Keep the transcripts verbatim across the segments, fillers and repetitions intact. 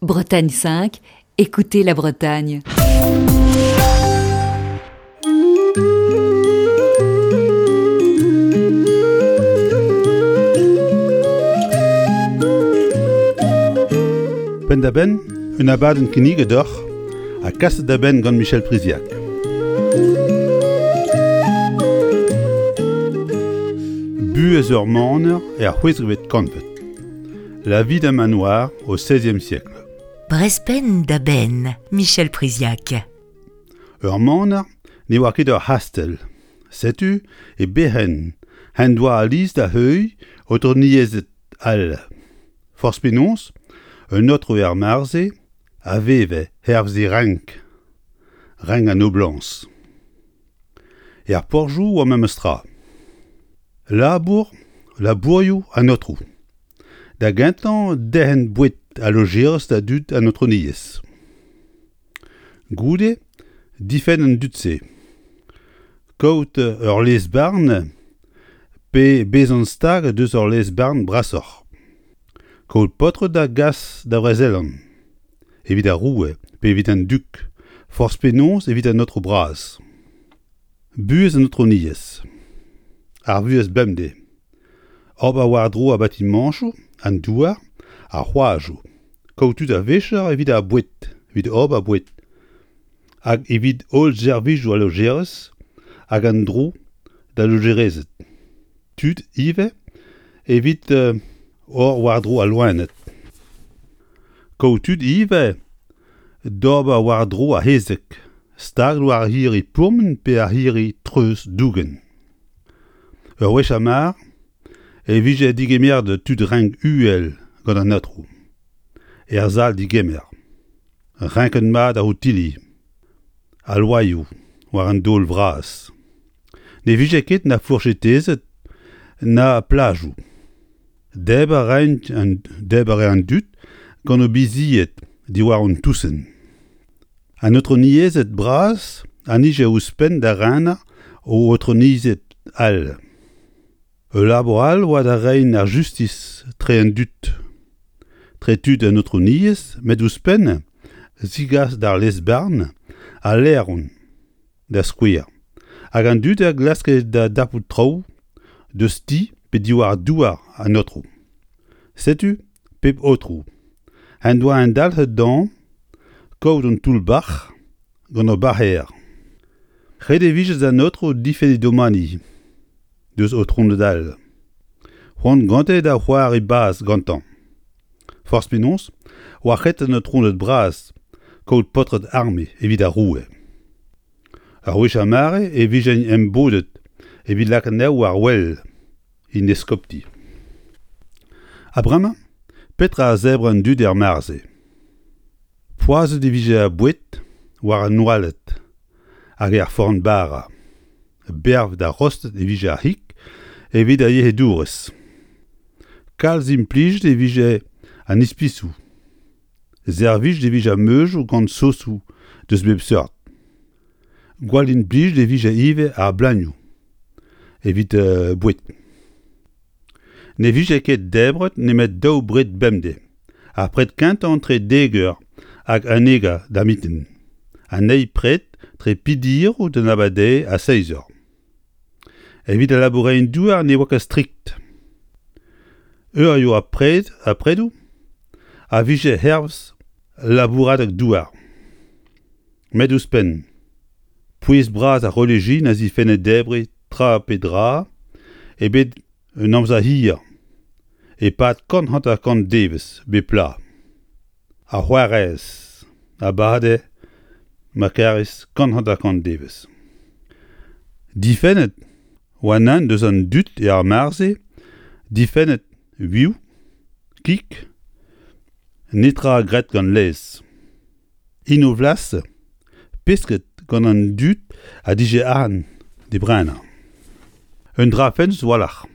Bretagne cinq, écoutez la Bretagne. Penn-da-benn, un abadenn kinniget deoc'h ha kaset da benn gant Michel Priziac. Buhez ur maner er c'hwezekvet kantved. La vie d'un manoir au seizième siècle. Brezh penn da benn, Michel Priziac. Ur maner ne oa ket ur c'hastell. Setu e berc'henn en doa al lez da heuilh aotrouniezed all. Forzh penaos, un aotrou er mare-se a veve hervez e renk, renk an noblañs. Er porzhioù oa memes tra. Labour, labourioù an aotrou. Da gentañ derc'hen boued ha lojerez da dud an aotrouniezh. Goude, difenn an dud-se. Kaout ur lez-barn pe bezañ stag deus ur lez-barn brasoc'h. Kaout paotred da gas da vrezelan, evit ar roue pe evit an dug, forzh penaos evit an aotrou bras. Buhez an aotrouniezh. Ar vuhez bemdez. Ober war-dro ar batimañchoù, an douar, ar c'hoajoù. Kaout tud a-vicher evit ar boued, evit ober boued. Hag evit holl servijoù al lojerez hag an dro d'al lojerezed. Tud ivez evit euh, ober war-dro al loened. Kaout tud ivez d'ober war-dro ar c'hezeg, stag war ar c'hirri pourmen pe ar c'hirri treuz dougen. Ur wech ar mare e vije degemeret tud renk uhel gant an aotrou. Er sal degemer. Renket mat ar otilli. Al loaioù war an daol vras. Ne vije ket na fourchetezed na plajoù. Debr a raent an, debr a rae an dud gant o bizied diwar an tousenn. An aotrouniezed bras a nije ouzhpenn da renañ o aotrouniezed all. Ul labour all oa da reiñ ar justis tre an dud. Tre tud an aotrouniezh, met ouzhpenn zigas d'ar lez-barn al laeron, da skouer. Hag an dud a glaske da dapout traoù deus ti pe diwar douar an aotrou. Setu pep aotrou. En doa un dalc'het dezhañ kaout un toull-bac'h gant ur bac'her. Ret e vije d'an aotrou difenn e domani deus aotrouned all. C'hoant gante da c'hoari bazh gantañ. Forzh penaos, oa ret an aotrouned bras kaout paotred arme evit ar roue. Ur wech ar mare e vijent embodet evit lakaat anezho war wel en eskopti. Ha bremañ, petra a zebr an dud er mare-se? Poazhet e vije ar boued war an oaled hag er forn-bara. Bervet ha rostet e vije ar c'hig evit ar yec'hedourez. Kalz implijet e vije an ispisoù. Servijet e vije ar meujoù gant sosoù deus bep seurt. Gwall implijet e vije ivez ar bleunioù evit euh, boued. Ne vije ket debret nemet daou bred bemdez. Ar pred kentañ entre dek eur hag unnek eur da mintin. An eil pred tre peder eur d'an abardaez ha seizh eur. Evit al labourerien-douar ne oa ket strikt. Eurioù ar pred ar predoù a vije hervez labouradeg douar. Met ouzhpenn, pouez bras ar relijion a zifenne debriñ tra pe dra ebet un amzer hir e-pad kant hanter-kant devezh bep bloaz. Ar c'hwarez a bade ma kerez kant hanter-kant devezh. Difennet oa nann deus an dud er mare-se, difennet vioù, kig, netra graet gant laezh. Inovlas, pesked gant an dud a dije arc'hant d'e brenañ. Un dra fentus a-walc'h.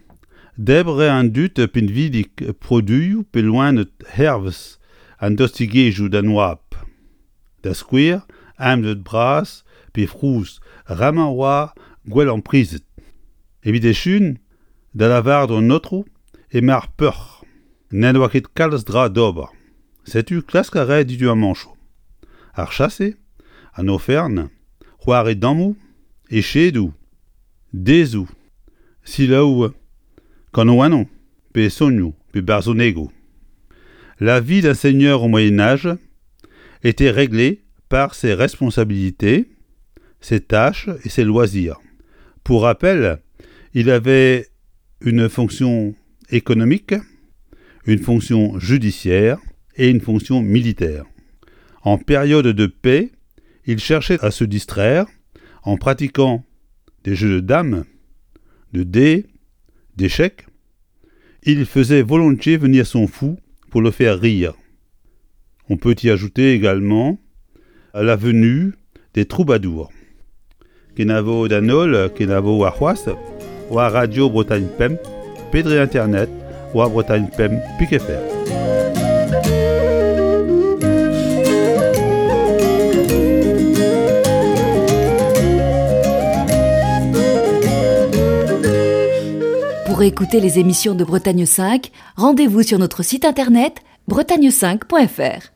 Debr a rae an dud pinvidik produioù pe loened hervez an dostigezhioù d'an oabl. Da skouer, amzer bras pe frouz, ramañ oa gwellañ prizet. Evit echuiñ, da lavaret an aotrou emañ ar peoc'h. N'en doa ket kalz dra d'ober. Setu klask a rae diduamanchoù. Ar chase, an ofern, c'hoari dammoù, echedoù, dezoù, selaou kanaouennoù pe sonioù pe barzhonegoù. La vie d'un seigneur au Moyen-Âge était réglée par ses responsabilités, ses tâches et ses loisirs. Pour rappel, il avait une fonction économique, une fonction judiciaire et une fonction militaire. En période de paix, il cherchait à se distraire en pratiquant des jeux de dames, de dés, d'échecs. Il faisait volontiers venir son fou pour le faire rire. On peut y ajouter également la venue des troubadours. Kenavo d'an holl, kenavo warc'hoazh, war Radio Bretagne Pemp, pe dre internet, war Bretagne Pemp pik F R. Pour écouter les émissions de Bretagne cinq, rendez-vous sur notre site internet bretagne cinq point F R.